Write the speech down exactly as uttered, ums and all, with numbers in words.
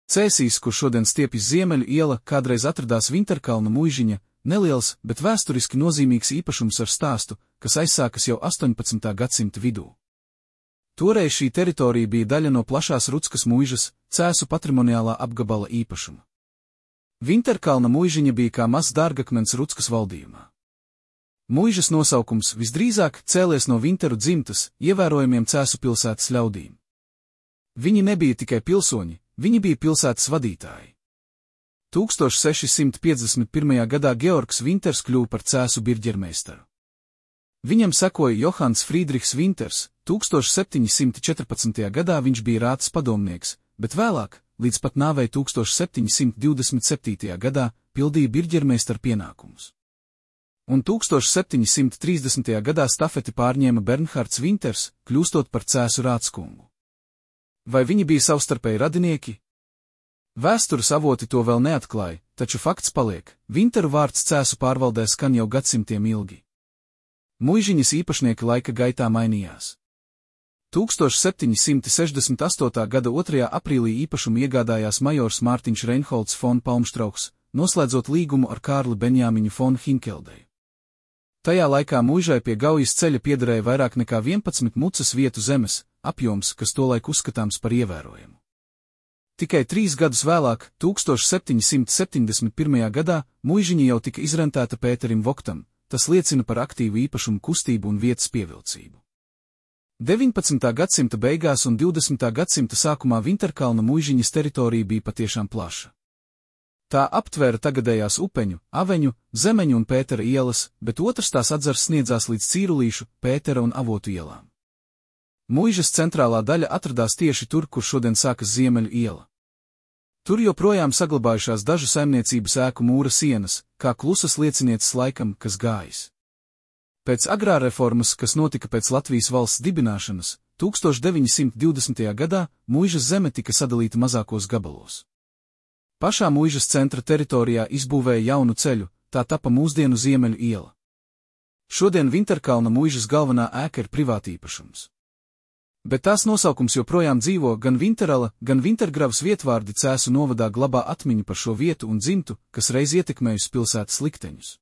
Cēsīs, kur šodien stiepjas Ziemeļu iela, kādreiz atradās Vinterkalna muižiņa, neliels, bet vēsturiski nozīmīgs īpašums ar stāstu, kas aizsākas jau astoņpadsmitā gadsimta vidū. Toreiz šī teritorija bija daļa no plašās Ruckas muižas, Cēsu patrimoniālā apgabala īpašuma. Vinterkalna muižiņa bija kā mazs dārgakmens Ruckas valdījumā. Muižas nosaukums visdrīzāk cēlies no Vinteru dzimtas, ievērojamiem Cēsu pilsētas ļaudīm. Viņi nebija tikai pilsoņi, viņi bija pilsētas vadītāji. tūkstoš seši simti piecdesmit pirmajā gadā Georgs Vinters kļuva par Cēsu birģermeistaru. Viņam sekoja Johans Friedrichs Vinters, tūkstoš septiņi simti četrpadsmitajā gadā viņš bija rātas padomnieks, bet vēlāk, līdz pat nāvei tūkstoš septiņi simti divdesmit septītajā gadā, pildīja birģermeistaru pienākumus. Un tūkstoš septiņi simti trīsdesmitajā gadā stafeti pārņēma Bernhards Vinters, kļūstot par Cēsu rātskungu. Vai viņi bija savstarpēji radinieki? Vēstures avoti to vēl neatklāja, taču fakts paliek, Vinteru vārds Cēsu pārvaldē skan jau gadsimtiem ilgi. Muižiņas īpašnieki laika gaitā mainījās. tūkstoš septiņi simti sešdesmit astotā gada otrajā aprīlī īpašumu iegādājās majors Mārtiņš Reinholds fon Palmštrauchs, noslēdzot līgumu ar Kārli Benjāmiņu fon Hinkeldeju. Tajā laikā muižai pie Gaujas ceļa piederēja vairāk nekā vienpadsmit mucas vietu zemes, apjoms, kas tolaik uzskatāms par ievērojamu. Tikai trīs gadus vēlāk, tūkstoš septiņi simti septiņdesmit pirmajā gadā, muižiņa jau tika izrentēta Pēterim Voktam, tas liecina par aktīvu īpašumu kustību un vietas pievilcību. deviņpadsmitā gadsimta beigās un divdesmitā gadsimta sākumā Vinterkalna muižiņas teritorija bija patiešām plaša. Tā aptvēra tagadējās Upeņu, Aveņu, Zemeņu un Pētera ielas, bet otrs tās atzars sniedzās līdz Cīrulīšu, Pētera un Avotu ielām. Muižas centrālā daļa atradās tieši tur, kur šodien sākas Ziemeļu iela. Tur joprojām saglabājušās dažu saimniecības ēku mūra sienas, kā klusas liecinieces laikam, kas gājis. Pēc agrārreformas, kas notika pēc Latvijas valsts dibināšanas, tūkstoš deviņi simti divdesmitajā gadā, muižas zeme tika sadalīta mazākos gabalos. Pašā muižas centra teritorijā izbūvēja jaunu ceļu, tā tapa mūsdienu Ziemeļu iela. Šodien Vinterkalna muižas galvenā ēka ir privātīpašums. Bet tās nosaukums joprojām dzīvo, gan Vinterala, gan Vintergravas vietvārdi Cēsu novadā glabā atmiņu par šo vietu un dzimtu, kas reiz ietekmējusi pilsētas likteņus.